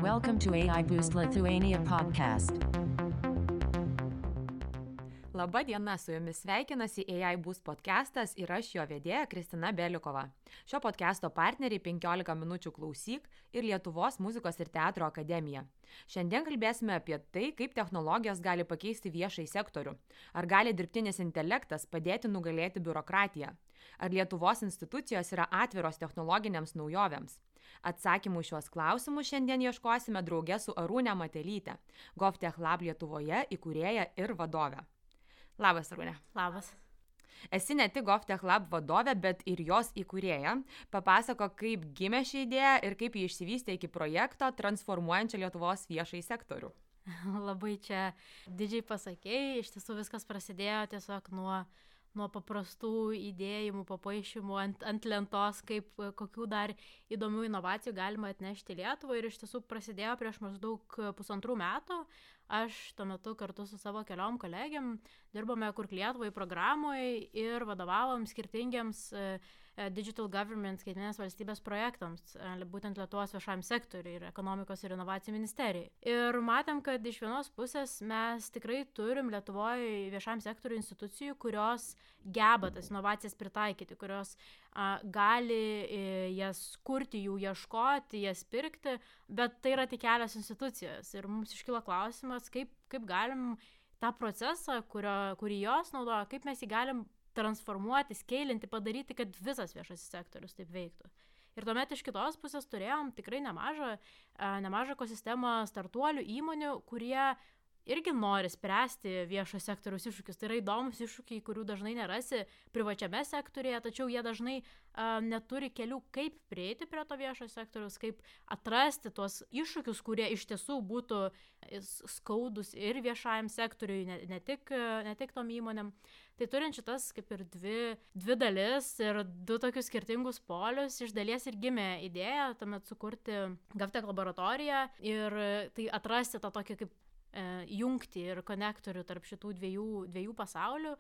Welcome to AI Boost Lithuania podcast. Labą dieną, su jumis sveikinasi AI Boost podcastas ir aš jo vedėja Kristina Belikova. Šio podcasto partneriai 15 minučių klausyk ir Lietuvos muzikos ir teatro akademija. Šiandien kalbėsime apie tai, kaip technologijos gali pakeisti viešąjį sektorių. Ar gali dirbtinis intelektas padėti nugalėti biurokratiją? Ar Lietuvos institucijos yra atviros technologinėms naujovėms? Atsakymų šios klausimus šiandien ieškosime drauge su Arūne Matelyte, GovTech Lab Lietuvoje įkūrėja ir vadove. Labas, Arūne. Labas. Esi ne tik GovTech Lab vadovė, bet ir jos įkūrėja. Papasako, kaip gimė ši idėja ir kaip ji išsivystė iki projekto transformuojančio Lietuvos viešąjį sektorių. Labai čia didžiai pasakėjai, iš tiesų viskas prasidėjo tiesiog nuo paprastų idėjimų, papaišymų ant lentos, kokių dar įdomių inovacijų galima atnešti Lietuvą, ir iš tiesų prasidėjo prieš maždaug 1,5 metų. Aš tuo metu kartu su savo keliom kolegėm dirbome Kurk Lietuvai programoje ir vadovavom skirtingiems Digital Government skaitmeninės valstybės projektams, būtent Lietuvos viešajam sektoriui ir ekonomikos ir inovacijų ministerijai. Ir matėm, kad iš vienos pusės mes tikrai turim Lietuvoje viešajam sektoriui institucijų, kurios geba tas inovacijas pritaikyti, kurios gali jas kurti, jų ieškoti, jas pirkti, bet tai yra tik kelios institucijos. Ir mums iškilo klausimas, kaip galim tą procesą, kurį jos naudoja, kaip mes jį galim transformuoti, skeilinti, padaryti, kad visas viešasis sektorius taip veiktų. Ir tuomet iš kitos pusės turėjom tikrai nemažą ekosistemą startuolių įmonių, kurie irgi nori spręsti viešo sektoriaus iššūkius. Tai yra įdomus iššūkiai, kurių dažnai nerasi privačiame sektorėje, tačiau jie dažnai neturi kelių, kaip prieiti prie to viešo sektoriaus, kaip atrasti tuos iššūkius, kurie iš tiesų būtų skaudus ir viešajam sektoriui, ne tik tom įmonėm. Tai turint šitas kaip ir dvi dalis ir du tokius skirtingus polius, iš dalies ir gimė idėja tuomet sukurti GovTech laboratoriją ir tai atrasti tą tokį kaip jungti ir konektorių tarp šitų dviejų pasaulių.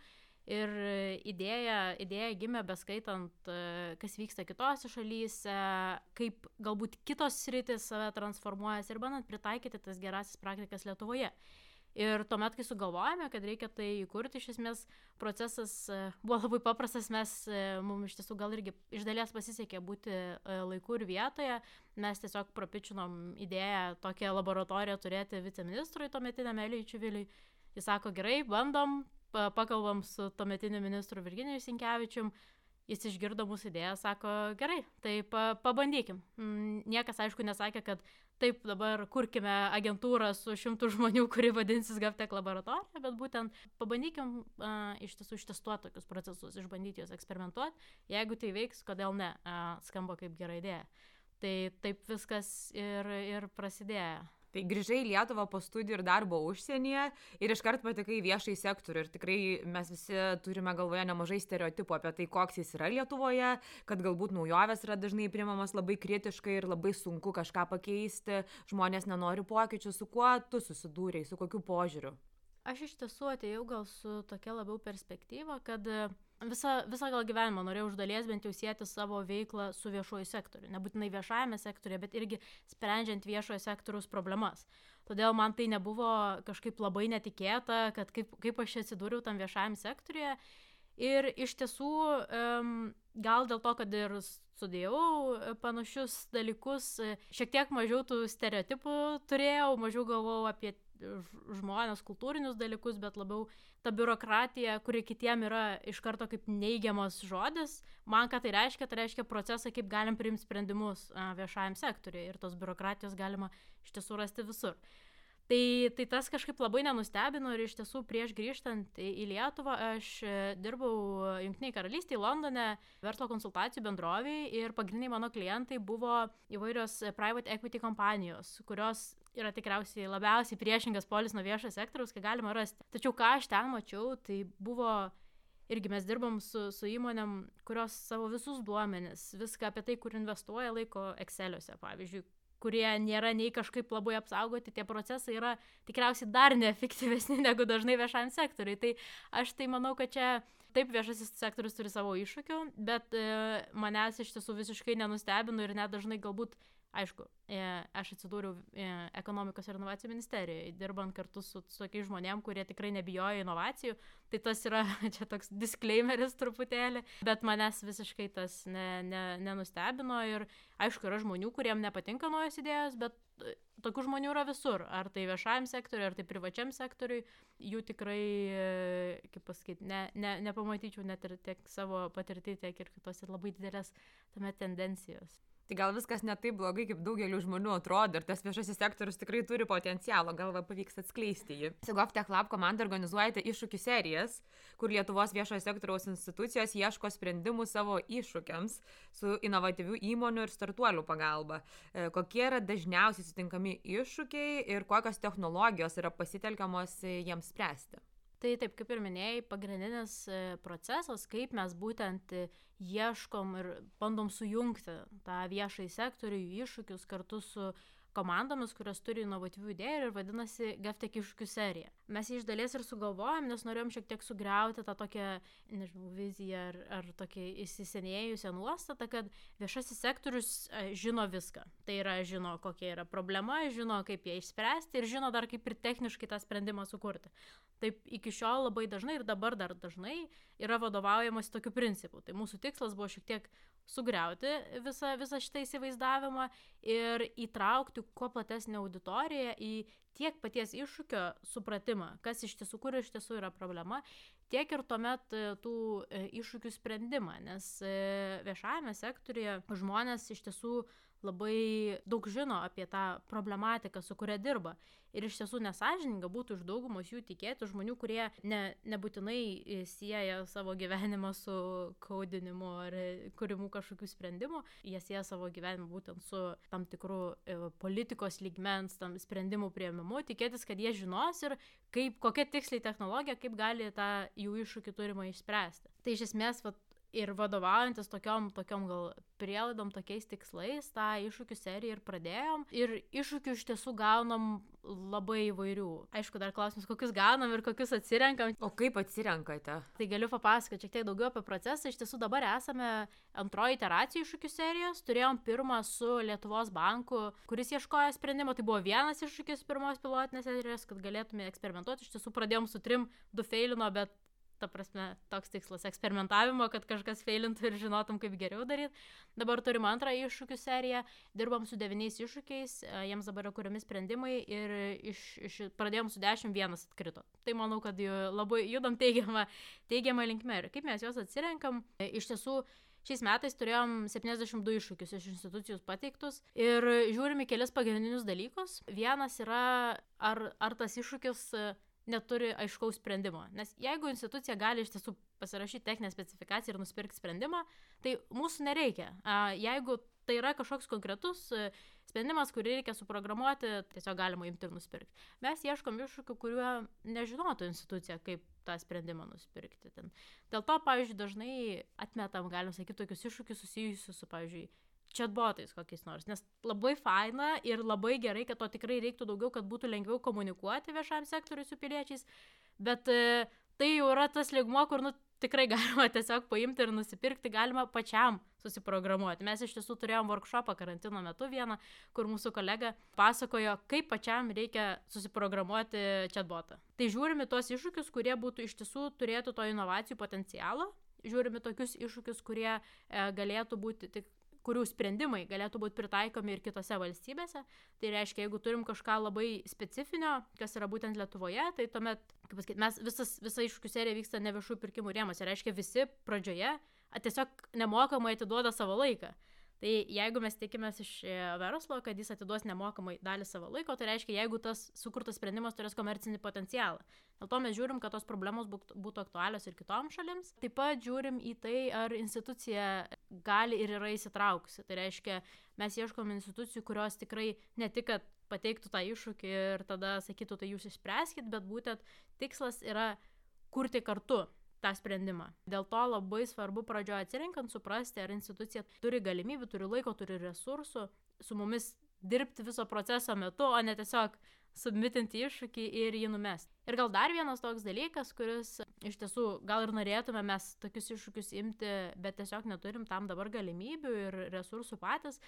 Ir idėja gimė beskaitant, kas vyksta kitose šalyse, kaip galbūt kitos sritys save transformuojasi ir bandant pritaikyti tas gerasis praktikas Lietuvoje. Ir tuomet, kai sugalvojame, kad reikia tai įkurti, iš esmės procesas buvo labai paprastas, mums iš tiesų gal irgi iš dalies pasisekė būti laiku ir vietoje, mes tiesiog prapičinom idėją tokią laboratoriją turėti viceministrui tuometiniam Elijui Čiviliui. Jis sako, gerai, bandom, pakalbam su tuometiniu ministru Virginijumi Sinkevičiumi. Jis išgirdo mūsų idėją, sako, gerai, tai pabandykim. Niekas, aišku, nesakė, kad taip dabar kurkime agentūrą su 100 žmonių, kuri vadinsis GovTech laboratorija, bet būtent pabandykim iš tiesų ištestuoti tokius procesus, išbandyti juos eksperimentuoti. Jeigu tai veiks, kodėl ne, skamba kaip gera idėja. Tai taip viskas ir prasidėjo. Tai grįžai į Lietuvą po studijų ir darbo užsienyje ir iškart patekai į viešąjį sektorių. Ir tikrai mes visi turime galvoje nemažai stereotipų apie tai, koks jis yra Lietuvoje, kad galbūt naujovės yra dažnai priimamas labai kritiškai ir labai sunku kažką pakeisti, žmonės nenori pokyčių. Su kuo tu susidūrei, su kokiu požiūriu? Aš iš tiesų atėjau gal su tokia labiau perspektyva, kad visą gal gyvenimą norėjau iš dalies bent jau sieti savo veiklą su viešuoju sektoriu. Nebūtinai viešajame sektoriuje, bet irgi sprendžiant viešojo sektoriaus problemas. Todėl man tai nebuvo kažkaip labai netikėta, kad kaip aš atsidūriau tam viešajam sektoriuje. Ir iš tiesų, gal dėl to, kad ir studijavau panašius dalykus, šiek tiek mažiau tų stereotipų turėjau, mažiau galvojau apie žmonės, kultūrinius dalykus, bet labiau ta biurokratija, kuri kitiem yra iš karto kaip neigiamas žodis. Man ką tai reiškia procesą, kaip galim priimti sprendimus viešajam sektoriui, ir tos biurokratijos galima iš tiesų rasti visur. Tai tas kažkaip labai nenustebino, ir iš tiesų prieš grįžtant į Lietuvą aš dirbau Jungtinėje karalystėje, Londone, verslo konsultacijų bendrovėje, ir pagrindiniai mano klientai buvo įvairios private equity kompanijos, kurios yra tikriausiai labiausiai priešingas polis nuo viešo sektoriaus, ką galima rasti. Tačiau ką aš ten mačiau, tai buvo irgi mes dirbam su įmonėm, kurios savo visus duomenis, viską apie tai, kur investuoja, laiko Exceliuose, pavyzdžiui, kurie nėra nei kažkaip labai apsaugoti, tie procesai yra tikriausiai dar neefektyvesni negu dažnai viešajam sektoriui. Tai aš tai manau, kad čia taip, viešasis sektorius turi savo iššūkių, bet manęs iš tiesų visiškai nenustebino ir net dažnai galbūt, aišku, aš atsidūriau ekonomikos ir inovacijų ministerijoje, dirbant kartu su tokiais žmonėm, kurie tikrai nebijojo inovacijų, tai tas yra čia toks disclaimeris truputėlį, bet manęs visiškai tas nenustebino ir aišku, yra žmonių, kuriem nepatinka naujos idėjos, bet tokių žmonių yra visur, ar tai viešajam sektoriui, ar tai privačiam sektoriui, jų tikrai, kaip pasakyti, nepamatyčiau net ir tiek savo patirtį, tiek ir kitose labai didelės tame tendencijos. Tai gal viskas ne taip blogai, kaip daugelių žmonių atrodo, ir tas viešasis sektorius tikrai turi potencialo, gal pavyks atskleisti jį. GovTech Lab komanda organizuojate iššūkių serijas, kur Lietuvos viešojo sektoriaus institucijos ieško sprendimų savo iššūkiams su inovatyvių įmonių ir startuolių pagalba. Kokie yra dažniausiai sutinkami iššūkiai ir kokios technologijos yra pasitelkiamos jiems spręsti? Tai taip, kaip ir minėjai, pagrindinis procesas, kaip mes būtent ieškom ir bandom sujungti tą viešąjį sektorių, iššūkius kartu su komandomis, kurios turi inovatyvių idėjų ir vadinasi GovTech iššūkių serija. Mes jį iš dalies ir sugalvojom, nes norėjom šiek tiek sugriauti tą tokią, nežinau, viziją ar tokią įsisenėjusią nuostatą, kad viešasis sektorius žino viską. Tai yra, žino, kokia yra problema, žino, kaip ją išspręsti ir žino dar kaip ir techniškai tą sprendimą sukurti. Taip iki šiol labai dažnai ir dabar dar dažnai yra vadovaujamas tokiu principu. Tai mūsų tikslas buvo šiek tiek sugriauti visą šitą įsivaizdavimą ir įtraukti kuo platesnę auditoriją į tiek paties iššūkio supratimą, kas iš tiesų, kur iš tiesų yra problema, tiek ir tuomet tų iššūkių sprendimą, nes viešajame sektoriuje žmonės iš tiesų labai daug žino apie tą problematiką, su kuria dirba. Ir iš tiesų nesąžininga būtų iš daugumos jų tikėti žmonių, kurie nebūtinai sieja savo gyvenimą su kaudinimu ar kūrimu kažkokių sprendimų. Jie sieja savo gyvenimą būtent su tam tikru politikos lygmens, tam sprendimų priėmimu. Tikėtis, kad jie žinos ir kokia tiksliai technologija, kaip gali tą jų iššūkį turimą išspręsti. Tai iš esmės, ir vadovaujantis tokiom gal prielaidom, tokiais tikslais, tą iššūkių seriją ir pradėjom. Ir iššūkių iš tiesų gaunam labai įvairių. Aišku, dar klausimas, kokius gaunam ir kokius atsirenkam. O kaip atsirenkate? Tai galiu papasakoti šiek tiek daugiau apie procesą. Iš tiesų dabar esame antroji iteracija iššūkių serijos. Turėjom pirmą su Lietuvos banku, kuris ieškojo sprendimo. Tai buvo vienas iššūkis pirmos pilotinės serijos, kad galėtume eksperimentuoti. Iš tiesų pradėjom su 3, 2 feilino, bet ta prasme, toks tikslas eksperimentavimo, kad kažkas feilintų ir žinotum, kaip geriau daryti. Dabar turim antrą iššūkių seriją, dirbam su 9 iššūkiais, jiems dabar yra kuriami sprendimai ir pradėjom su 10, 1 atkrito. Tai manau, kad labai judam teigiamą linkme. Ir kaip mes juos atsirenkam, iš tiesų šiais metais turėjom 72 iššūkius iš institucijų pateiktus ir žiūrim į kelis pagrindinius dalykus. Vienas yra, ar tas iššūkis neturi aiškaus sprendimo. Nes jeigu institucija gali iš tiesų pasirašyti techninę specifikaciją ir nusipirkti sprendimą, tai mūsų nereikia. Jeigu tai yra kažkoks konkretus sprendimas, kurį reikia suprogramuoti, tiesiog galima imti ir nusipirkti. Mes ieškom iššūkių, kuriuo nežinotų institucija, kaip tą sprendimą nusipirkti. Dėl to, pavyzdžiui, dažnai atmetam, galim sakyti, tokius iššūkius susijusius su, pavyzdžiui, chatbotais kokiais nors, nes labai faina ir labai gerai, kad to tikrai reiktų daugiau, kad būtų lengviau komunikuoti viešam sektoriui su piliečiais, bet tai jau yra tas lygmuo, kur tikrai galima tiesiog paimti ir nusipirkti, galima pačiam susiprogramuoti. Mes iš tiesų turėjom workshopą karantino metu vieną, kur mūsų kolega pasakojo, kaip pačiam reikia susiprogramuoti chatbotą. Tai žiūrime tuos iššūkius, kurie būtų iš tiesų turėtų to inovacijų potencialo, žiūrime tokius iššūkius, kurie galėtų būti kurių sprendimai galėtų būti pritaikomi ir kitose valstybėse. Tai reiškia, jeigu turim kažką labai specifinio, kas yra būtent Lietuvoje, tai tuomet, kaip pasakyti, visa iššūkių serija vyksta ne viešųjų pirkimų rėmuose. Reiškia, visi pradžioje tiesiog nemokamai atiduoda savo laiką. Tai jeigu mes tikimės iš verslo, kad jis atiduos nemokamai dalį savo laiko, tai reiškia, jeigu tas sukurtas sprendimas turės komercinį potencialą. Dėl to mes žiūrim, kad tos problemos būtų aktualios ir kitoms šalims. Taip pat žiūrim į tai, ar institucija gali ir yra įsitraukusi. Tai reiškia, mes ieškom institucijų, kurios tikrai ne tik, kad pateiktų tą iššūkį ir tada sakytų, tai jūs išspręskit, bet būtent tikslas yra kurti kartu tą sprendimą. Dėl to labai svarbu pradžioje atsirinkant suprasti, ar institucija turi galimybių, turi laiko, turi resursų su mumis dirbti viso proceso metu, o ne tiesiog submitinti iššūkį ir jį numesti. Ir gal dar vienas toks dalykas, kuris iš tiesų gal ir norėtume mes tokius iššūkius imti, bet tiesiog neturim tam dabar galimybių ir resursų patys.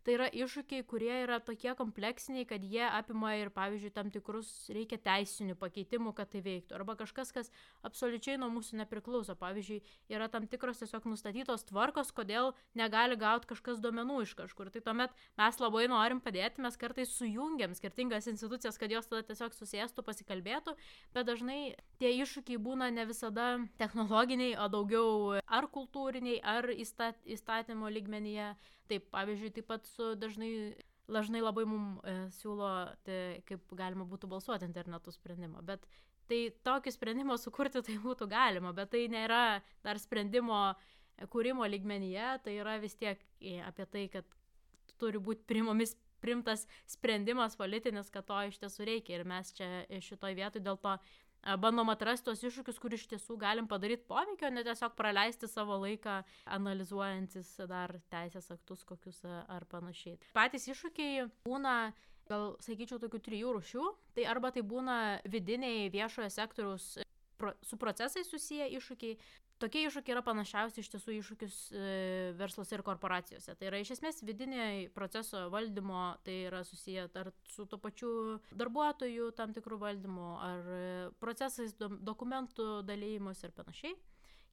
Tai yra iššūkiai, kurie yra tokie kompleksiniai, kad jie apima ir, pavyzdžiui, tam tikrus reikia teisinių pakeitimų, kad tai veiktų. Arba kažkas, kas absoliučiai nuo mūsų nepriklauso. Pavyzdžiui, yra tam tikros tiesiog nustatytos tvarkos, kodėl negali gauti kažkas duomenų iš kažkur. Tai tuomet mes labai norim padėti, mes kartais sujungiam skirtingas institucijas, kad jos tada tiesiog susėstų, pasikalbėtų, bet dažnai tie iššūkiai būna ne visada technologiniai, o daugiau ar kultūriniai, ar įstatymo lygmenyje. Taip, pavyzdžiui, taip pat dažnai labai mums siūlo, kaip galima būtų balsuoti internetu sprendimą, bet tai tokį sprendimą sukurti tai būtų galima, bet tai nėra dar sprendimo kūrimo lygmenyje, tai yra vis tiek apie tai, kad turi būti primtas sprendimas politinis, kad to iš tiesų reikia ir mes čia šitoj vietoj dėl to bandom atrasti tos iššūkius, kur iš tiesų galim padaryti poveikio, ne tiesiog praleisti savo laiką analizuojantis dar teisės aktus kokius ar panašiai. Patys iššūkiai būna, gal sakyčiau, tokių 3 rūšių. Tai arba tai būna vidiniai viešojo sektoriaus su procesais susiję iššūkiai. Tokie iššūkiai yra panašiausi iš tiesų iššūkius versluose ir korporacijose. Tai yra iš esmės vidiniai proceso valdymo, tai yra susiję ar su to pačiu darbuotojų tam tikrų valdymu, ar procesais dokumentų dalymus ir panašiai.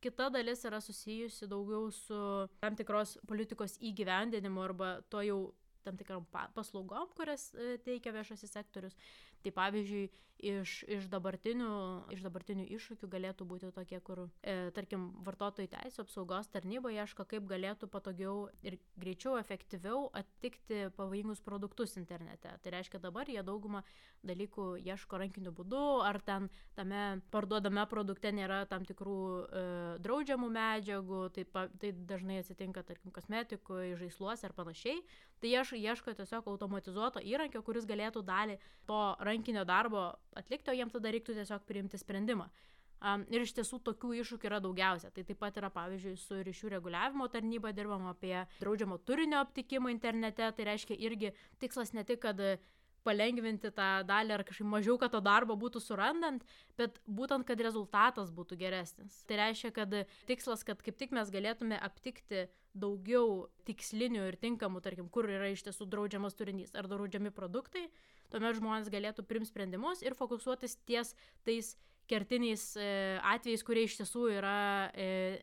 Kita dalis yra susijusi daugiau su tam tikros politikos įgyvendinimu arba to jau tam tikram paslaugom, kurias teikia viešasis sektorius. Tai pavyzdžiui, iš dabartinių iššūkių galėtų būti tokie, kur, tarkim, vartotojų teisų apsaugos tarnyba ieško, kaip galėtų patogiau ir greičiau, efektyviau attikti pavojingus produktus internete. Tai reiškia, dabar jie daugumą dalykų ieško rankiniu būdu, ar tame parduodame produkte nėra tam tikrų draudžiamų medžiagų, tai dažnai atsitinka, tarkim, kosmetikoje, žaisluose ar panašiai. Tai ieško tiesiog automatizuoto įrankio, kuris galėtų dalį to rankinio darbo atlikti, o jiems tada reiktų tiesiog priimti sprendimą. Ir iš tiesų tokių iššūkių yra daugiausia. Tai taip pat yra, pavyzdžiui, su ryšių reguliavimo tarnyba dirbama apie draudžiamo turinio aptikimą internete. Tai reiškia irgi tikslas ne tik, kad palengvinti tą dalį ar kažkaip mažiau, kad to darbo būtų surandant, bet būtent, kad rezultatas būtų geresnis. Tai reiškia, kad tikslas, kad kaip tik mes galėtume aptikti daugiau tikslinių ir tinkamų, tarkim, kur yra iš tiesų draudžiamas turinys ar draudžiami produktai, tuomet žmonės galėtų priimti sprendimus ir fokusuotis ties tais kertiniais atvejais, kurie iš tiesų yra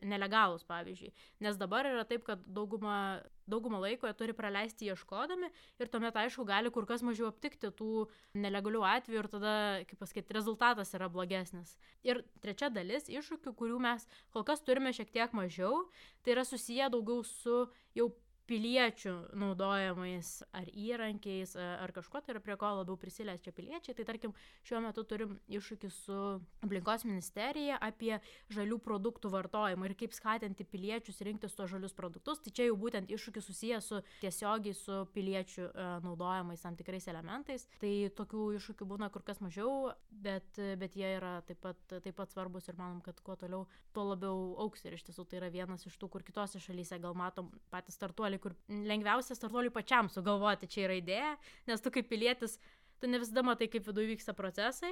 nelegalūs, pavyzdžiui. Nes dabar yra taip, kad daugumą laiko jie turi praleisti ieškodami ir tuomet, aišku, gali kur kas mažiau aptikti tų nelegalių atvejų ir tada, kaip pasakyti, rezultatas yra blogesnis. Ir trečia dalis iššūkių, kurių mes kol kas turime šiek tiek mažiau, tai yra susiję daugiau su jau piliečių naudojamais ar įrankiais ar kažko, tai yra prie ko labiau prisiliečia piliečiai. Tai tarkim, šiuo metu turim iššūkį su aplinkos ministerija apie žalių produktų vartojimą ir kaip skatinti piliečius rinktis tuos žalius produktus. Tai čia jau būtent iššūkis susijęs su tiesiogiai su piliečių naudojamais tam tikrais elementais. Tai tokių iššūkių būna kur kas mažiau, bet jie yra taip pat svarbus ir manom, kad kuo toliau, tuo labiau auks. Ir iš tiesų tai yra vienas iš tų, kur kitose šalyse gal matom patys startuoliai, kur lengviausia startuoliui pačiam sugalvoti, čia yra idėja, nes tu kaip pilietis, tu ne visada matai, kaip viduje vyksta procesai,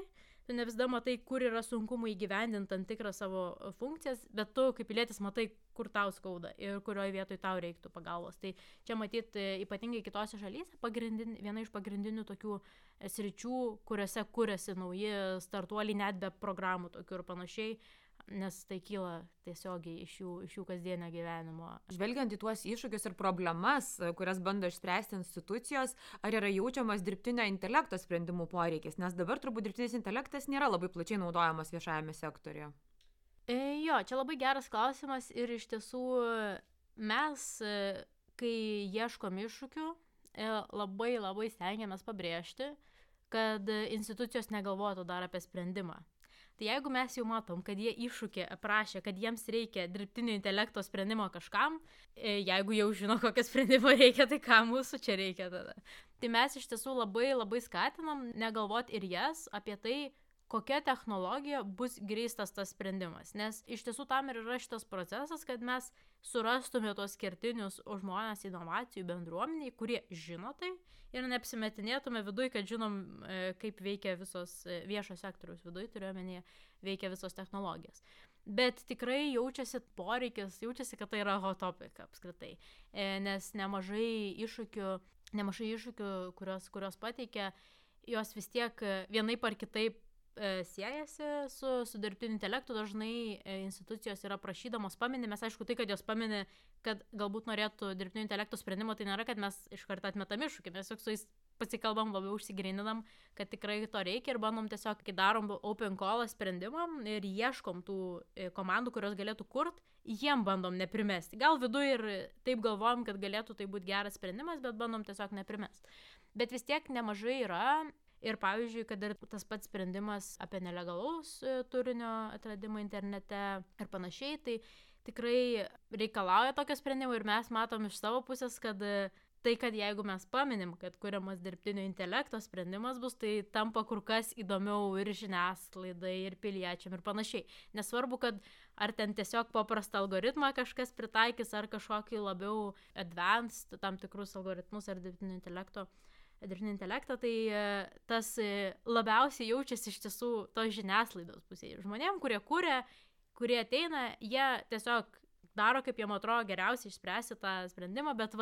tu ne visada matai, kur yra sunkumų įgyvendinti tam tikrą savo funkcijas, bet tu kaip pilietis matai, kur tau skauda ir kurioje vietoje tau reiktų pagalbos. Tai čia matyti ypatingai kitose šalyse viena iš pagrindinių tokių sričių, kuriuose kuriasi nauji startuoliai net be programų tokių ir panašiai, nes tai kyla tiesiogiai iš jų kasdienio gyvenimo. Žvelgiant į tuos iššūkius ir problemas, kurias bando išspręsti institucijos, ar yra jaučiamas dirbtinio intelekto sprendimų poreikis? Nes dabar turbūt dirbtinis intelektas nėra labai plačiai naudojamas viešajame sektoriuje. Jo, čia labai geras klausimas ir iš tiesų mes, kai ieškom iššūkių, labai stengiamės pabrėžti, kad institucijos negalvotų dar apie sprendimą. Tai jeigu mes jau matom, kad jie iššūkį aprašė, kad jiems reikia dirbtinio intelekto sprendimo kažkam, jeigu jau žino, kokio sprendimo reikia, tai ką mūsų čia reikia tada. Tai mes iš tiesų labai skatinam negalvoti ir jas apie tai, kokia technologija bus grįstas tas sprendimas. Nes iš tiesų tam ir yra šitas procesas, kad mes surastume tos kertinius žmonės inovacijų bendruomeniai, kurie žino tai ir neapsimetinėtume viduj, kad žinom, kaip veikia visos viešo sektoriaus viduj, turiuomenėje, veikia visos technologijos. Bet tikrai jaučiasi poreikis, jaučiasi, kad tai yra hot topic apskritai, nes nemažai iššūkių, kurios pateikia, jos vis tiek vienaip ar kitaip siejasi su dirbtiniu intelektu. Dažnai institucijos yra prašydamos paminė, mes aišku tai, kad jos paminė, kad galbūt norėtų dirbtinio intelekto sprendimo, tai nėra, kad mes iš karto atmetam iššūkį, mes su jais pasikalbam, labiau užsigryninam, kad tikrai to reikia ir bandom tiesiog, kai darom open call sprendimam ir ieškom tų komandų, kurios galėtų kurt, jiem bandom neprimesti. Gal viduje ir taip galvojam, kad galėtų tai būti geras sprendimas, bet bandom tiesiog neprimesti. Bet vis tiek nemažai yra. Ir pavyzdžiui, kad ir tas pats sprendimas apie nelegalaus turinio atradimą internete ir panašiai, tai tikrai reikalauja tokio sprendimo ir mes matom iš savo pusės, kad tai, kad jeigu mes paminim, kad kuriamas dirbtinio intelekto sprendimas bus, tai tampa kur kas įdomiau ir žiniasklaidai, ir piliečiam ir panašiai. Nesvarbu, kad ar ten tiesiog paprastą algoritmą kažkas pritaikys, ar kažkokį labiau advanced tam tikrus algoritmus ar dirbtinio intelektą, tai tas labiausiai jaučiasi iš tiesų tos žiniasklaidos pusėje. Žmonėm, kurie ateina, jie tiesiog daro, kaip jiem atrodo geriausiai išspręsti tą sprendimą, bet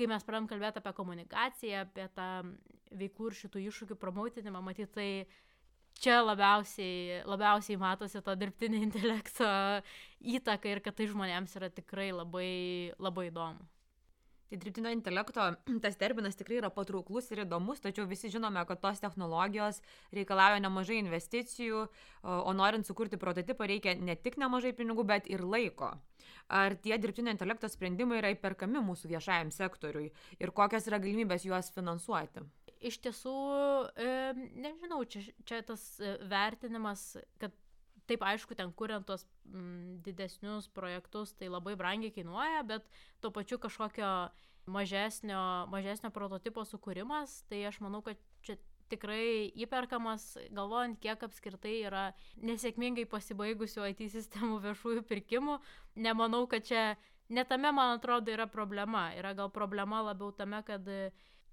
kai mes pradėjom kalbėti apie komunikaciją, apie tą veiklų ir šitų iššūkių promautinimą, matyt, tai čia labiausiai matosi to dirbtinio intelekto įtaka ir kad tai žmonėms yra tikrai labai, labai įdomu. Tai dirbtinio intelekto tas terminas tikrai yra patrauklus ir įdomus, tačiau visi žinome, kad tos technologijos reikalauja nemažai investicijų, o norint sukurti prototipą reikia ne tik nemažai pinigų, bet ir laiko. Ar tie dirbtinio intelekto sprendimai yra įperkami mūsų viešajam sektoriui ir kokios yra galimybės juos finansuoti? Iš tiesų, nežinau, čia tas vertinimas, kad taip, aišku, ten kuriant tos didesnius projektus, tai labai brangiai kainuoja, bet tuo pačiu kažkokio mažesnio prototipo sukūrimas, tai aš manau, kad čia tikrai įperkamas, galvojant, kiek apskritai yra nesėkmingai pasibaigusių IT sistemų viešųjų pirkimų. Nemanau, kad čia netame, man atrodo, yra problema. Yra gal problema labiau tame, kad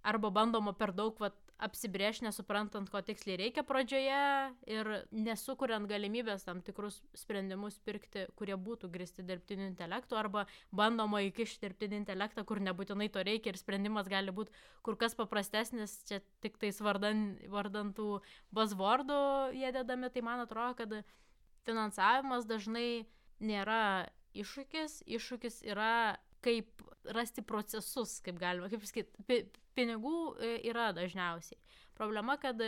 arba bandoma per daug apsibrėžti, nesuprantant, ko tiksliai reikia pradžioje ir nesukuriant galimybės tam tikrus sprendimus pirkti, kurie būtų grįsti dirbtiniu intelektu, arba bandoma įkišti dirbtinį intelektą, kur nebūtinai to reikia ir sprendimas gali būti kur kas paprastesnis, čia tik tais vardant tų buzzwordų jie dedami. Tai man atrodo, kad finansavimas dažnai nėra iššūkis yra kaip rasti procesus, kaip galima, kaip sakyti, pinigų yra dažniausiai. Problema, kad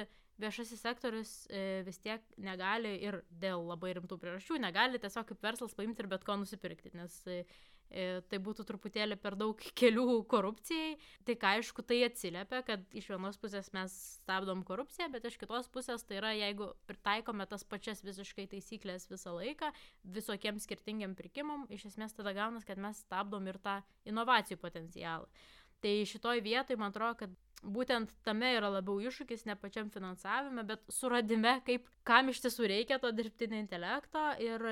viešasis sektorius vis tiek negali ir dėl labai rimtų priežasčių negali tiesiog kaip verslas paimti ir bet ko nusipirkti, nes tai būtų truputėlį per daug kelių korupcijai. Tai ką, aišku, tai atsiliepia, kad iš vienos pusės mes stabdom korupciją, bet iš kitos pusės tai yra, jeigu pritaikome tas pačias visiškai taisyklės visą laiką, visokiems skirtingiam pirkimam, iš esmės tada gaunas, kad mes stabdom ir tą inovacijų potencialą. Tai šitoj vietoj, man atrodo, kad būtent tame yra labiau iššūkis, ne pačiam finansavime, bet suradime, kam iš tiesų reikia to dirbtinio intelekto ir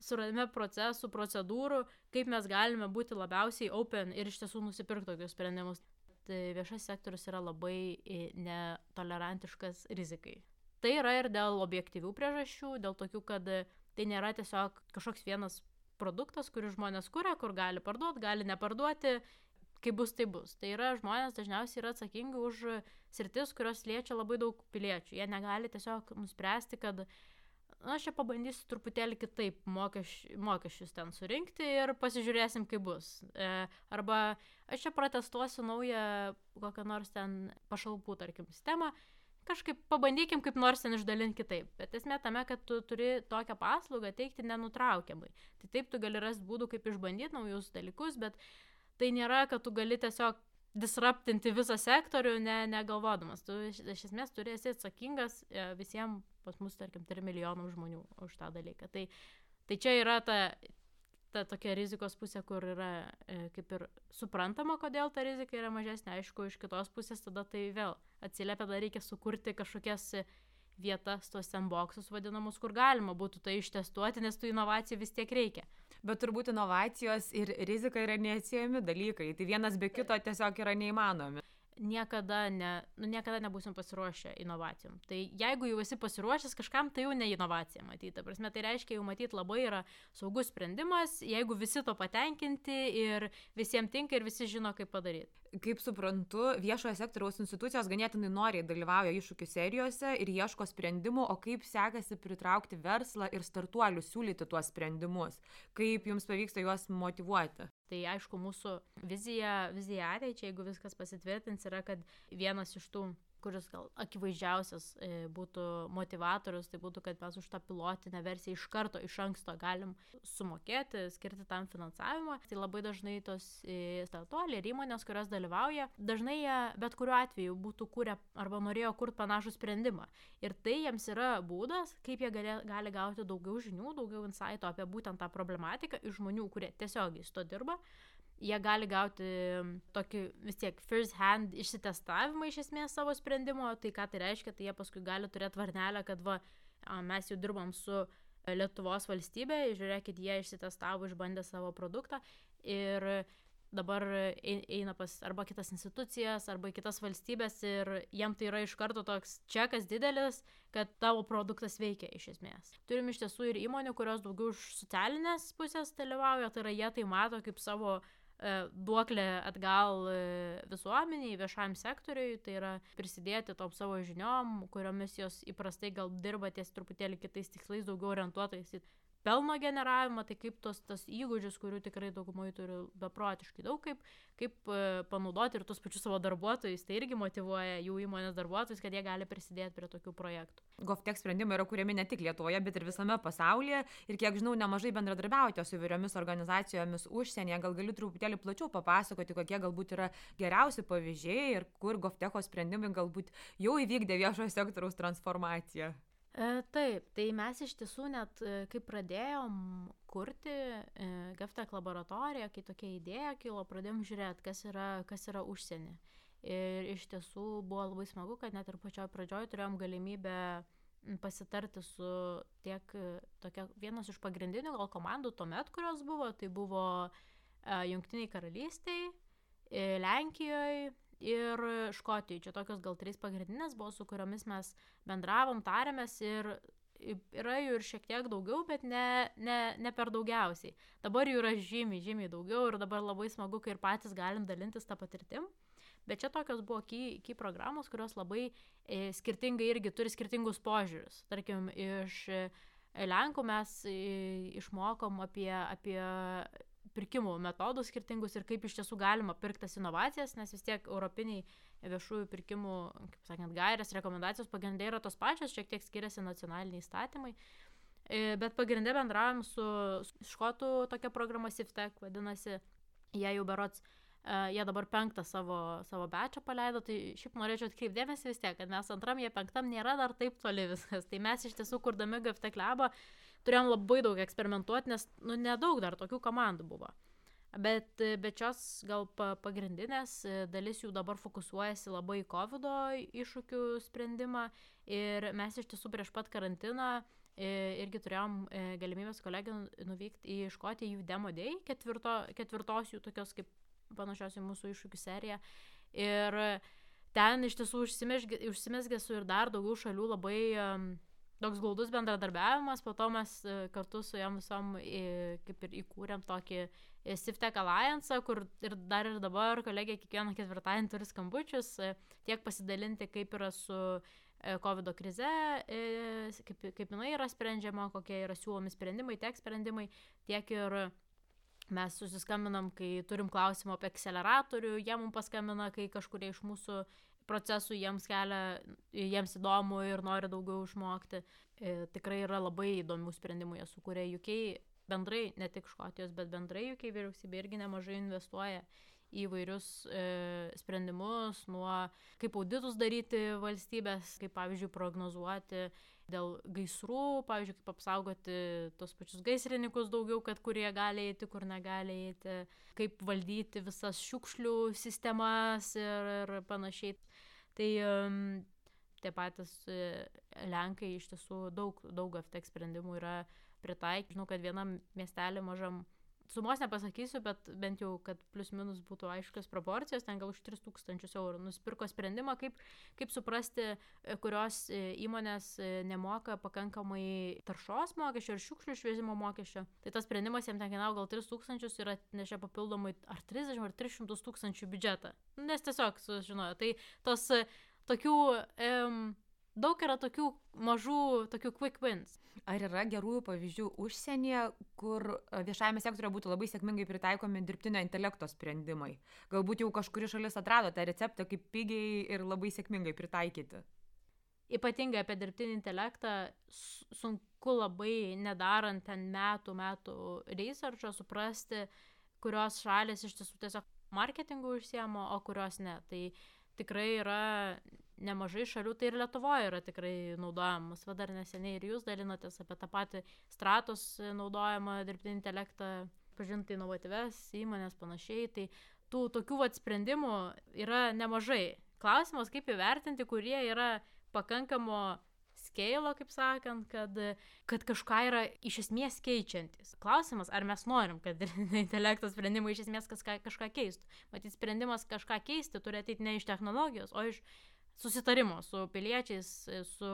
suradime procesų, procedūrų, kaip mes galime būti labiausiai open ir iš tiesų nusipirkti tokius sprendimus. Tai viešas sektorius yra labai netolerantiškas rizikai. Tai yra ir dėl objektyvių priežasčių, dėl tokių, kad tai nėra tiesiog kažkoks vienas produktas, kurį žmonės kuria, kur gali parduoti, gali neparduoti, kaip bus, tai bus. Tai yra žmonės dažniausiai yra atsakingi už sritis, kurios liečia labai daug piliečių. Jie negali tiesiog nuspręsti, kad aš čia pabandysiu truputėlį kitaip mokesčius ten surinkti ir pasižiūrėsim, kaip bus. Arba aš čia protestuosiu naują kokią nors ten pašalpų, tarkim, sistemą, kažkaip pabandykim kaip nors ten išdalinti kitaip. Bet esmė tame, kad tu turi tokią paslaugą teikti nenutraukiamai. Tai taip tu gali rasti būdų, kaip išbandyti naujus dalykus, bet tai nėra, kad tu gali tiesiog disruptinti visą sektorių, negalvodamas. Tu iš esmės turi esi atsakingas visiems, pas mus, tarkim, 3 milijonų žmonių už tą dalyką. Tai čia yra ta tokia rizikos pusė, kur yra kaip ir suprantama, kodėl ta rizika yra mažesnė. Aišku, iš kitos pusės tada tai vėl atsiliepia, tada reikia sukurti kažkokias vietas, tuos sandboxus vadinamus, kur galima būtų tai ištestuoti, nes tų inovacijų vis tiek reikia. Bet turbūt inovacijos ir rizika yra neatsiejami dalykai. Tai vienas be kito tiesiog yra neįmanomi. Niekada nebūsim pasiruošę inovacijom. Tai jeigu jau esi pasiruošęs kažkam, tai jau ne inovacija matyti. Ta prasme, tai reiškia jau matyti labai yra saugus sprendimas, jeigu visi to patenkinti ir visiems tinka ir visi žino, kaip padaryti. Kaip suprantu, viešojo sektoriaus institucijos ganėtinai noriai dalyvauja iššūkių serijose ir ieško sprendimų, o kaip sekasi pritraukti verslą ir startuolius siūlyti tuos sprendimus? Kaip jums pavyksta juos motyvuoti? Tai aišku, mūsų vizija ateičiai, jeigu viskas pasitvirtins, yra, kad vienas iš tų, kuris gal akivaizdžiausias būtų motivatorius, tai būtų, kad mes už tą pilotinę versiją iš anksto galim sumokėti, skirti tam finansavimą. Tai labai dažnai tos startuoliai ir įmonės, kurios dalyvauja, dažnai jie bet kuriuo atveju būtų kūrę arba norėjo kurti panašų sprendimą. Ir tai jiems yra būdas, kaip jie gali gauti daugiau žinių, daugiau insighto apie būtent tą problematiką iš žmonių, kurie tiesiogiai su to dirba. Jie gali gauti tokį vis tiek first hand išsitestavimą iš esmės savo sprendimo, tai ką tai reiškia, tai jie paskui gali turėti varnelę, kad mes jau dirbam su Lietuvos valstybė, žiūrėkit, jie išsitestavo, išbandė savo produktą ir dabar eina pas arba kitas institucijas, arba kitas valstybės ir jiem tai yra iš karto toks čekas didelis, kad tavo produktas veikia iš esmės. Turim iš tiesų ir įmonių, kurios daugiau iš socialinės pusės dalyvauja, tai yra jie tai mato kaip savo duoklę atgal visuomeniai, viešajam sektoriui, tai yra prisidėti tom savo žiniom, kuriomis jos įprastai gal dirba ties truputėlį kitais tikslais, daugiau orientuotais į pelno generavimą, tai kaip tos įgūdžius, kurių tikrai daugumai turi beprotiškai daug, kaip panaudoti ir tus pačius savo darbuotojus, tai irgi motyvuoja jų įmonės darbuotojus, kad jie gali prisidėti prie tokių projektų. GovTech sprendimai yra kuriami ne tik Lietuvoje, bet ir visame pasaulyje ir kiek žinau, nemažai bendradarbiaujate su įvairiomis organizacijomis užsienyje. Gal galiu truputėlį plačiau papasakoti, kokie galbūt yra geriausi pavyzdžiai ir kur GovTecho sprendimai galbūt jau įvykdė viešojo sektoriaus transformaciją. Taip, tai mes iš tiesų net, kai pradėjom kurti GovTech laboratoriją, kai tokia idėja kilo, pradėjom žiūrėti, kas yra užsienį. Ir iš tiesų buvo labai smagu, kad net ir pačioj pradžioj turėjom galimybę pasitarti su tiek tokia vienas iš pagrindinių gal komandų tuomet, kurios buvo, tai buvo Jungtiniai Karalystiai, Lenkijoje ir Škotijoje. Čia tokios gal 3 pagrindinės buvo, su kuriomis mes bendravom, tarėmės ir yra jų ir šiek tiek daugiau, bet ne per daugiausiai. Dabar jų yra žymiai daugiau ir dabar labai smagu, kai ir patys galim dalintis tą patirtim. Bet čia tokios buvo key programos, kurios labai skirtingai irgi turi skirtingus požiūrius. Tarkim, iš Lenkų mes išmokom apie pirkimų metodus skirtingus ir kaip iš tiesų galima pirktas inovacijas, nes vis tiek europiniai viešųjų pirkimų, kaip sakant, gairės, rekomendacijos pagrindai yra tos pačios, šiek tiek skiriasi nacionaliniai įstatymai. Bet pagrindai bendravom su škotų tokia programa SIFTech, vadinasi, jie jau berods, jie dabar 5 savo batchą paleido, tai šiaip norėčiau atkreipdėmėsi vis tiek, kad mes 2, jie 5 nėra dar taip toli viskas. Tai mes iš tiesų, kurdami GovTech labą, turėjom labai daug eksperimentuoti, nes nedaug dar tokių komandų buvo. Bet šios gal pagrindinės dalis jų dabar fokusuojasi labai į COVID iššūkių sprendimą ir mes iš tiesų prieš pat karantiną irgi turėjom galimybės kolegų nuvykti į Škotiją jų Demo Day, ketvirtos jų tokios kaip panašios į mūsų iššūkių seriją. Ir ten iš tiesų užsimezgė su ir dar daugiau šalių labai toks glaudus bendradarbiavimas, po to mes kartu su jom visom kaip ir įkūrėm tokį SIFTech Alliance, kur ir dabar kolegė kiekvieną ketvirtadienį turi skambučius, tiek pasidalinti, kaip yra su COVID krize, kaip jinai yra sprendžiama, kokie yra siūlomi sprendimai, tiek sprendimai, tiek ir mes susiskambinam, kai turim klausimą apie akceleratorių, jie mums paskambina, kai kažkurie iš mūsų procesų jiems įdomu ir nori daugiau išmokti. Tikrai yra labai įdomių sprendimų, jie sukūrė UK bendrai, ne tik Škotijos, bet bendrai UK vyriausybė irgi nemažai investuoja į įvairius sprendimus, nuo kaip auditus daryti valstybės, kaip pavyzdžiui prognozuoti dėl gaisrų, pavyzdžiui, kaip apsaugoti tos pačius gaisrininkus daugiau, kad kurie gali eiti, kur negali eiti, kaip valdyti visas šiukšlių sistemas ir panašiai. Tai tie patys Lenkai iš tiesų daug FTX sprendimų yra pritaikyti. Žinau, kad vienam miestelį mažam, sumos nepasakysiu, bet bent jau, kad plius minus būtų aiškios proporcijos, ten gal už 3000 eurų nusipirko sprendimą, kaip suprasti, kurios įmonės nemoka pakankamai taršos mokesčio ir šiukšlių išvežimo mokesčio. Tai tas sprendimas jam ten kainavo gal 3000 ir atnešė papildomai ar 30 ar 300 tūkstančių biudžetą. Nes tiesiog sužinojo. Tai tos tokių, daug yra tokių mažų, tokių quick wins. Ar yra gerųjų pavyzdžių užsienyje, kur viešajame sektoriuje būtų labai sėkmingai pritaikomi dirbtinio intelekto sprendimai? Galbūt jau kažkuri šalis atrado tą receptą, kaip pigiai ir labai sėkmingai pritaikyti. Ypatingai apie dirbtinį intelektą sunku labai nedarant ten metų researcho suprasti, kurios šalis iš tiesų tiesiog marketingų užsiema, o kurios ne. Tai tikrai yra nemažai šalių, tai ir Lietuvoje yra tikrai naudojamas. Va dar neseniai ir jūs dalinotės apie tą patį Stratos naudojamą dirbtinį intelektą, pažinti inovatyves įmonės panašiai. Tai tų tokių sprendimų yra nemažai. Klausimas, kaip įvertinti, kurie yra pakankamo scale, kaip sakant, kad kažką yra iš esmės keičiantis. Klausimas, ar mes norim, kad intelekto sprendimai iš esmės kažką keistų. Matyt, sprendimas kažką keisti turi ateiti ne iš technologijos, o iš susitarimo su piliečiais, su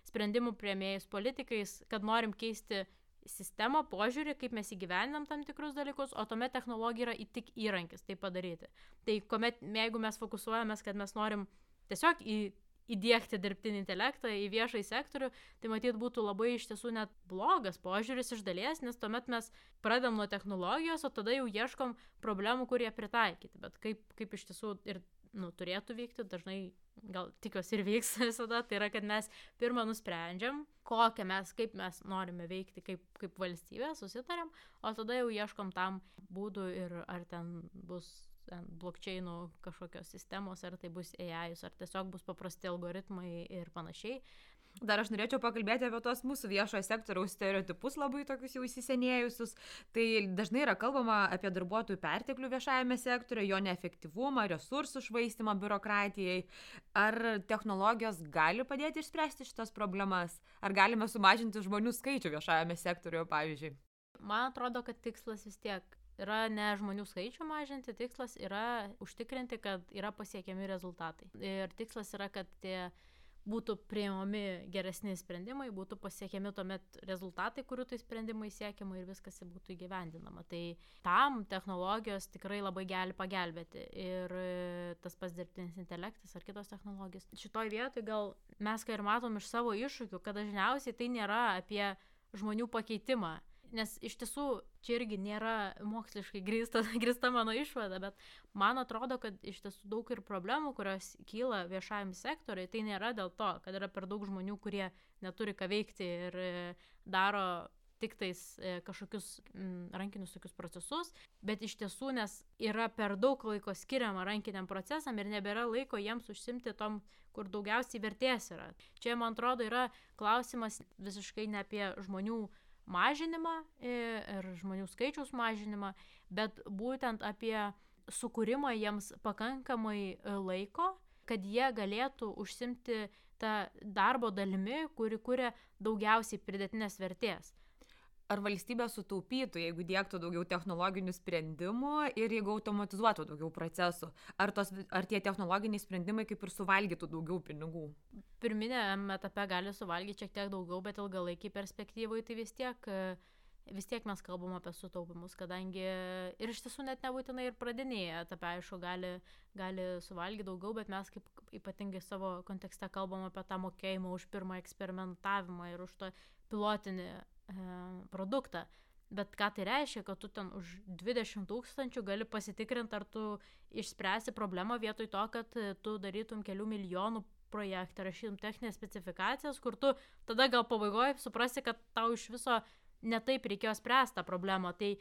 sprendimų priėmėjais, politikais, kad norim keisti sistemą, požiūrį, kaip mes įgyvendinam tam tikrus dalykus, o tuomet technologija yra tik įrankis tai padaryti. Tai jeigu mes fokusuojamės, kad mes norim tiesiog įdiegti dirbtinį intelektą į viešąjį sektorių, tai matyt būtų labai iš tiesų net blogas požiūris iš dalies, nes tuomet mes pradedam nuo technologijos, o tada jau ieškom problemų, kurie pritaikyti. Bet kaip iš tiesų ir turėtų vykti, dažnai gal tikiuosi ir vyks visada, tai yra, kad mes pirmą nusprendžiam, kaip mes norime veikti kaip valstybė, susitariam, o tada jau ieškom tam būdų ir ar ten bus blockchainų kažkokios sistemos, ar tai bus AI, ar tiesiog bus paprasti algoritmai ir panašiai. Dar aš norėčiau pakalbėti apie tos mūsų viešojo sektoriaus stereotipus labai tokius jau įsisenėjusius. Tai dažnai yra kalbama apie darbuotojų perteklių viešajame sektoriuje, jo neefektyvumą, resursų švaistimą biurokratijai. Ar technologijos gali padėti išspręsti šitas problemas? Ar galime sumažinti žmonių skaičių viešajame sektoriuje, pavyzdžiui? Man atrodo, kad tikslas vis tiek yra ne žmonių skaičių mažinti, tikslas yra užtikrinti, kad yra pasiekiami rezultatai. Ir tikslas yra, kad tie būtų priimami geresni sprendimai, būtų pasiekiami tuomet rezultatai, kurių tai sprendimai siekiama ir viskas būtų įgyvendinama. Tai tam technologijos tikrai labai gali pagelbėti ir tas pats dirbtinis intelektas ar kitos technologijos. Šitoj vietoj gal mes ką ir matom iš savo iššūkių, kad dažniausiai tai nėra apie žmonių pakeitimą. Nes iš tiesų čia irgi nėra moksliškai grįsta mano išvada, bet man atrodo, kad iš tiesų daug ir problemų, kurios kyla viešajam sektoriui, tai nėra dėl to, kad yra per daug žmonių, kurie neturi ką veikti ir daro tik tais kažkokius rankinius tokius procesus, bet iš tiesų, nes yra per daug laiko skiriama rankiniam procesam ir nebėra laiko jiems užsimti tom, kur daugiausiai vertės yra. Čia, man atrodo, yra klausimas visiškai ne apie žmonių mažinimą ir žmonių skaičiaus mažinimą, bet būtent apie sukūrimą jiems pakankamai laiko, kad jie galėtų užsimti tą darbo dalimi, kuri kuria daugiausiai pridėtinės vertės. Ar valstybė sutaupytų, jeigu diegtų daugiau technologinių sprendimų ir jeigu automatizuotų daugiau procesų? Ar tie technologiniai sprendimai kaip ir suvalgytų daugiau pinigų? Pirminėme etape gali suvalgyti šiek tiek daugiau, bet ilgalaikiai perspektyvai tai vis tiek mes kalbam apie sutaupimus, kadangi ir iš tiesų net nebūtinai ir pradinėje etape, aišku, gali suvalgyti daugiau, bet mes kaip ypatingai savo kontekste kalbam apie tą mokėjimą už pirmą eksperimentavimą ir už tą pilotinį produktą. Bet ką tai reiškia, kad tu ten už 20 000 gali pasitikrinti, ar tu išspręsi problemą vietoj to, kad tu darytum kelių milijonų projektą, rašytum techninės specifikacijas, kur tu tada gal pabaigoje suprasi, kad tau iš viso netaip reikėjo spręsti tą problemą. Tai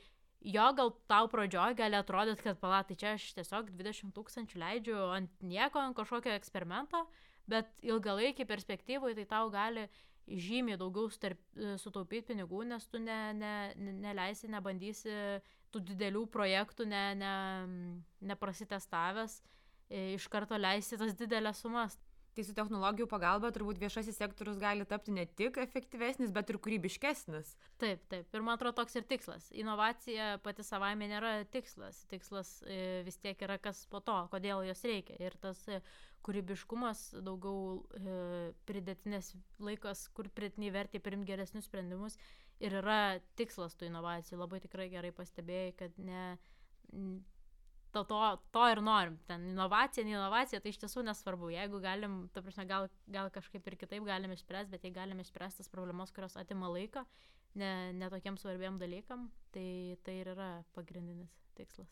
jo gal tau pradžioj gali atrodyti, kad tai čia aš tiesiog 20 000 leidžiu ant nieko, ant kažkokio eksperimento, bet ilgalaikiai perspektyvai tai tau gali žymiai daugiau sutaupyti pinigų, nes tu neleisi, nebandysi tų didelių projektų, neprasitestavęs, iš karto leisi tas didelės sumas. Tai su technologijų pagalba turbūt viešasis sektorius gali tapti ne tik efektyvesnis, bet ir kūrybiškesnis. Taip. Ir man atrodo toks ir tikslas. Inovacija pati savaime nėra tikslas. Tikslas vis tiek yra kas po to, kodėl jos reikia. Ir tas kūrybiškumas, daugiau pridėtinės laikas, kur pridėtiniai vertė priimti geresnius sprendimus ir yra tikslas tų inovacijų. Labai tikrai gerai pastebėjai, kad to ir norim. Ten inovacija, tai iš tiesų nesvarbu. Jeigu galim, ta prasme, gal kažkaip ir kitaip galim išspręsti, bet jei galim išspręsti tas problemas, kurios atima laiką, ne tokiem svarbiem dalykam, tai ir yra pagrindinis tikslas.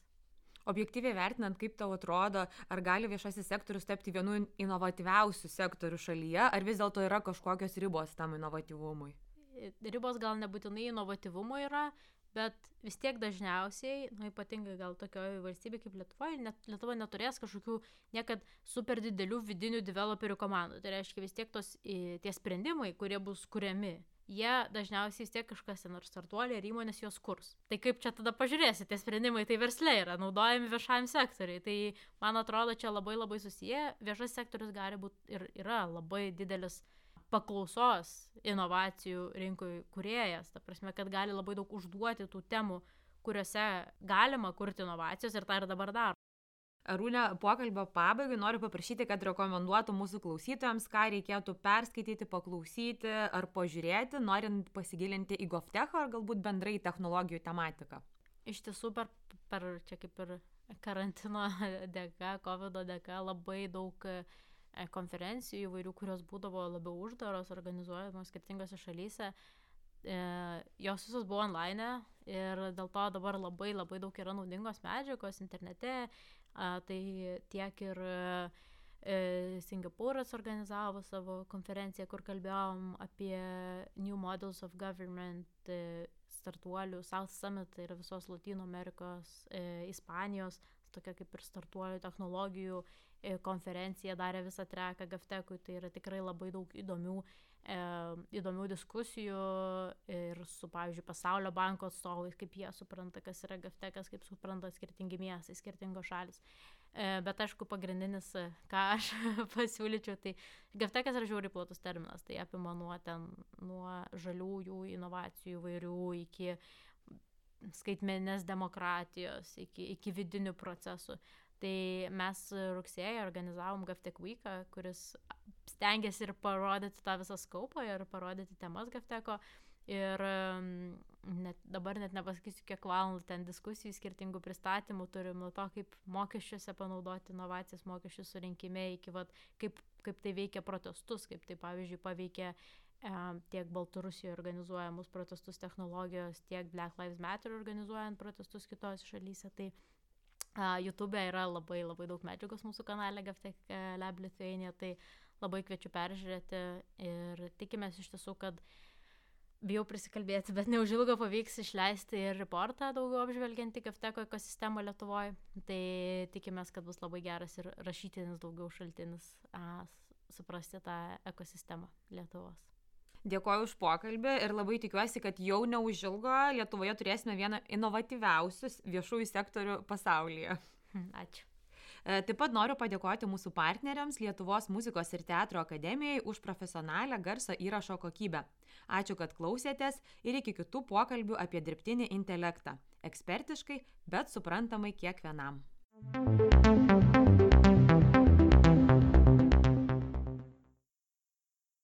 Objektyviai vertinant, kaip tau atrodo, ar gali viešasis sektorius tapti vienu inovatyviausių sektorių šalyje, ar vis dėlto yra kažkokios ribos tam inovatyvumui? Ribos gal nebūtinai inovatyvumo yra, bet vis tiek dažniausiai, ypatingai gal tokioje valstybėje kaip Lietuva neturės kažkokių niekad super didelių vidinių developerių komandų. Tai reiškia vis tiek tie sprendimai, kurie bus kuriami, jie dažniausiai vis tiek kažkas ten ar startuoliai, ar įmonės juos kurs. Tai kaip čia tada pažiūrėsi, tie sprendimai tai versle yra, naudojami viešajam sektoriui. Tai man atrodo, čia labai labai susiję. Viešas sektorius gali būti ir yra labai didelis paklausos inovacijų rinkoj kūrėjas, ta prasme, kad gali labai daug užduoti tų temų, kuriuose galima kurti inovacijos ir tą ir dabar daro. Arūne, pokalbio pabaigai noriu paprašyti, kad rekomenduotų mūsų klausytojams, ką reikėtų perskaityti, paklausyti ar pažiūrėti, norint pasigilinti į GovTech ar galbūt bendrai technologijų tematiką. Iš tiesų, per čia kaip ir karantino dėka, COVID dėka, labai daug konferencijų įvairių, kurios būdavo labiau uždaros, organizuojamos skirtingose šalyse. Jos visos buvo online ir dėl to dabar labai labai daug yra naudingos medžiagos internete. Tai tiek ir Singapūras organizavo savo konferenciją, kur kalbėjom apie New Models of Government startuolių. South Summit, tai yra visos Latino Amerikos, Ispanijos, tokia kaip ir startuolių technologijų konferencija, darė visą treką GovTech'ui, tai yra tikrai labai daug įdomių diskusijų ir su, pavyzdžiui, Pasaulio banko atstovais, kaip jie supranta, kas yra GovTech'as, kaip supranta skirtingi miestai, skirtingos šalis. Bet aišku, pagrindinis, ką aš pasiūlyčiau, tai GovTech'as yra žiauriai platus terminas, tai apima nuo žaliųjų inovacijų įvairių iki skaitmeninės demokratijos, iki vidinių procesų. Tai mes rugsėjį organizavom GovTech Week'ą, kuris stengiasi ir parodyti tą visą skaupą ir parodyti temas GovTech'o. Ir dabar net nepasakysiu, kiek valandų ten diskusijų, skirtingų pristatymų turim, nuo to, kaip mokesčiuose panaudoti inovacijas, mokesčių surinkime, iki kaip tai veikia protestus, kaip tai, pavyzdžiui, paveikia tiek Baltarusijoje organizuojamus protestus technologijos, tiek Black Lives Matter organizuojant protestus kitose šalyse. Tai YouTube yra labai labai daug medžiagos mūsų kanale GovTech Lab Lithuania, tai labai kviečiu peržiūrėti ir tikimės iš tiesų, kad bijau prisikalbėti, bet neužilgo pavyks išleisti ir reportą daugiau apžvelgiantį GovTech ekosistemą Lietuvoje. Tai tikimės, kad bus labai geras ir rašytinis daugiau šaltinis suprasti tą ekosistemą Lietuvos. Dėkoju už pokalbį ir labai tikiuosi, kad jau neužilgo Lietuvoje turėsime vieną inovatyviausių viešųjų sektorių pasaulyje. Ačiū. Taip pat noriu padėkoti mūsų partneriams Lietuvos muzikos ir teatro akademijai už profesionalią garso įrašo kokybę. Ačiū, kad klausėtės ir iki kitų pokalbių apie dirbtinį intelektą. Ekspertiškai, bet suprantamai kiekvienam.